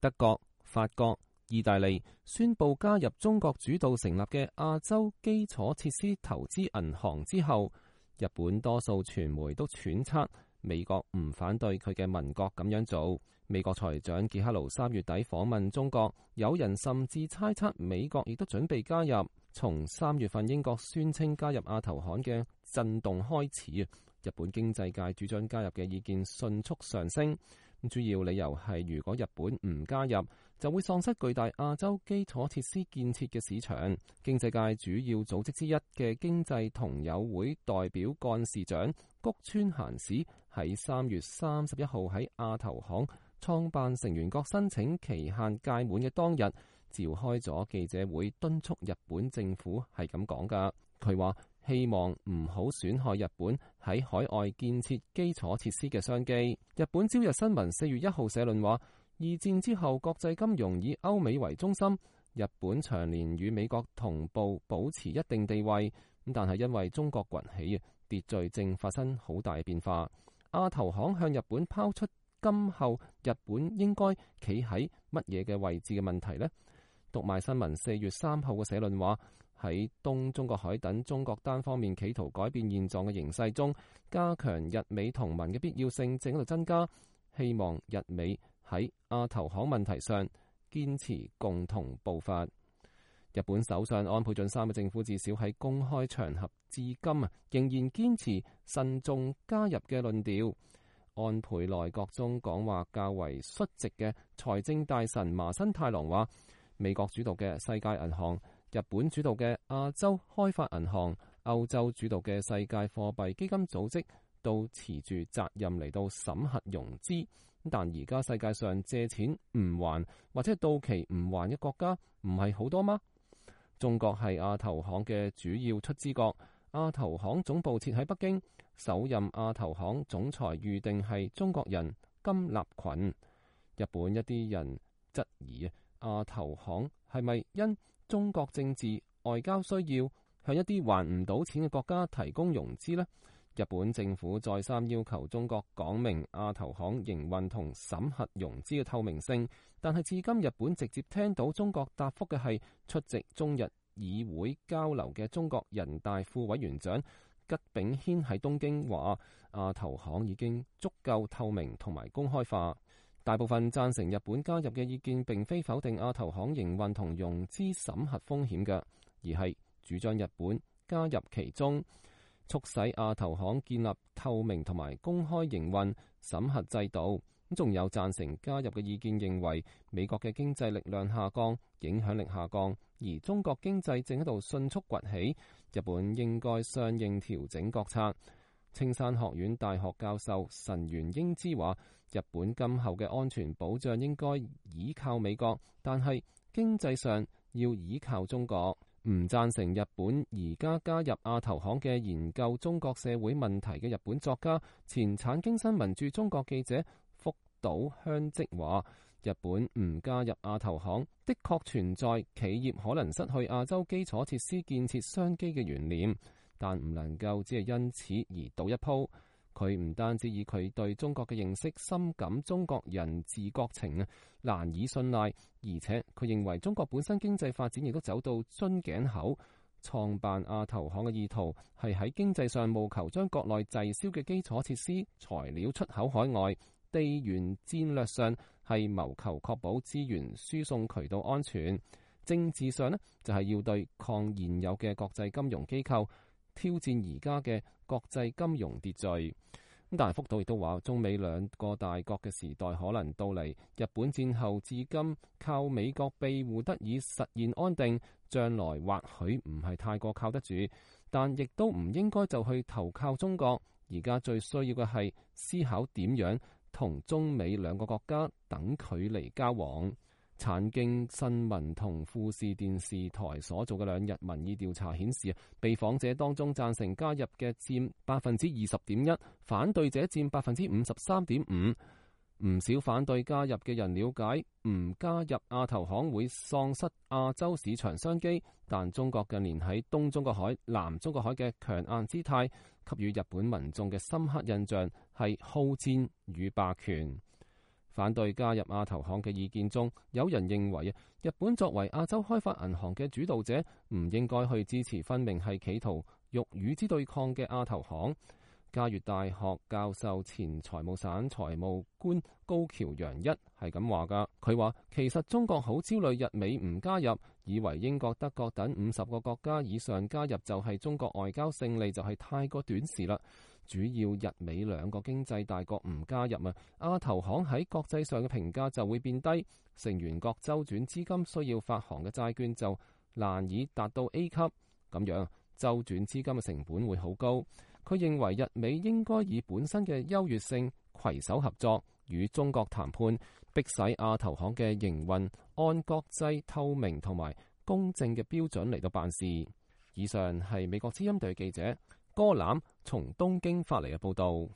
德國、法國、意大利宣布加入中國主導成立嘅亞洲基礎設施投資銀行之後，日本多數傳媒都揣測美國唔反對佢嘅民國咁樣做。美國財長傑克勞3月底訪問中國，有人甚至猜測美國亦都準備加入。從3月份英國宣稱加入亞投行嘅震動開始，日本經濟界主張加入嘅意見迅速上升。主要理由係如果日本唔加入，就會喪失巨大亞洲基礎設施建設嘅市場。經濟界主要組織之一嘅經濟同友會代表幹事長谷川閑史喺3月31號喺亞投行創辦成員國申請期限屆滿嘅當日，召開咗記者會，敦促日本政府係咁講㗎。佢話希望唔好損害日本喺海外建設基礎設施嘅商機。日本朝日新聞4月1號社論話，二戰之後國際金融以歐美為中心，日本長年與美國同步保持一定地位，但係因為中國崛起，秩序正發生好大變化。亞投行向日本拋出今後日本應該企喺乜嘢嘅位置嘅問題呢？讀賣新聞4月3號嘅社論話，喺東中國海等中國單方面企圖改變現狀嘅形勢中，加強日美同盟嘅必要性正喺度增加。希望日美喺亞投行問題上堅持共同步伐。日本首相安倍晉三嘅政府至少喺公開場合至今仍然堅持慎重加入嘅論調。安倍內閣中講話較為率直嘅財政大臣麻生太郎話，美國主導嘅世界銀行、日本主導嘅亞洲開發銀行、歐洲主導嘅世界貨幣基金組織都持住責任嚟到審核融資。但而家世界上借錢唔還或者到期唔還嘅國家唔係好多嗎？中國係亞投行嘅主要出資國，亞投行總部設喺北京，首任亞投行總裁預定係中國人金立群。日本一啲人質疑亞投行係咪因中國政治外交需要向一啲還唔到錢嘅國家提供融資呢？日本政府再三要求中國講明亞投行營運同審核融資嘅透明性，但係至今日本直接聽到中國答覆嘅係出席中日議會交流嘅中國人大副委員長吉炳軒喺東京話，亞投行已經足夠透明同埋公開化。大部分贊成日本加入嘅意見並非否定亞投行營運同融資審核風險嘅，而係主張日本加入其中，促使亞投行建立透明同埋公開營運審核制度。仲有贊成加入嘅意見認為，美國嘅經濟力量下降，影響力下降，而中國經濟正喺度迅速崛起，日本應該相應調整國策。青山學院大學教授神原英之話，日本今後嘅安全保障應該依靠美國，但係經濟上要依靠中國。唔贊成日本而家加入亞投行嘅研究中國社會問題嘅日本作家、前產經新聞駐中國記者福島香織話，日本唔加入亞投行的確存在企業可能失去亞洲基礎設施建設商機嘅懸念，但唔能夠只係因此而賭一鋪。佢唔單止以佢對中國嘅認識深感中國人自國情難以信賴，而且佢認為中國本身經濟發展亦都走到樽頸口。創辦亞投行嘅意圖係喺經濟上務求將國內滯銷嘅基礎設施材料出口海外，地緣戰略上係謀求確保資源輸送渠道安全，政治上就係要對抗現有嘅國際金融機構，挑戰而家嘅國際金融秩序。但係福島亦都話，中美兩個大國嘅時代可能到嚟。日本戰後至今靠美國庇護得以實現安定，將來或許唔係太過靠得住，但亦都唔應該就去投靠中國。而家最需要嘅係思考點樣同中美兩個國家等距離交往。產經新聞同富士電視台所做嘅2日民意調查顯示，被訪者當中贊成加入嘅佔20.1%，反對者佔53.5%。唔少反對加入嘅人了解，唔加入亞投行會喪失亞洲市場商機，但中國近年喺東中國海、南中國海嘅強硬姿態，給予日本民眾嘅深刻印象係好戰與霸權。反對加入亞投行嘅意見中，有人認為日本作為亞洲開發銀行嘅主導者，唔應該去支持分明係企圖欲與之對抗嘅亞投行。嘉越大學教授前財務省財務官高橋陽一係咁話㗎，佢話其實中國好焦慮日美唔加入，以為英國、德國等50個國家以上加入就係中國外交勝利，就係太過短視啦。主要日美兩個經濟大國唔加入亞投行喺國際上嘅評價就會變低，成員國周轉資金需要發行嘅債券就難以達到 A 級，咁樣周轉資金嘅成本會好高。佢認為日美應該以本身嘅優越性攜手合作，與中國談判，迫使亞投行嘅營運按國際透明同埋公正嘅標準嚟到辦事。以上係美國之音隊記者柯欖從東京發嚟嘅報導。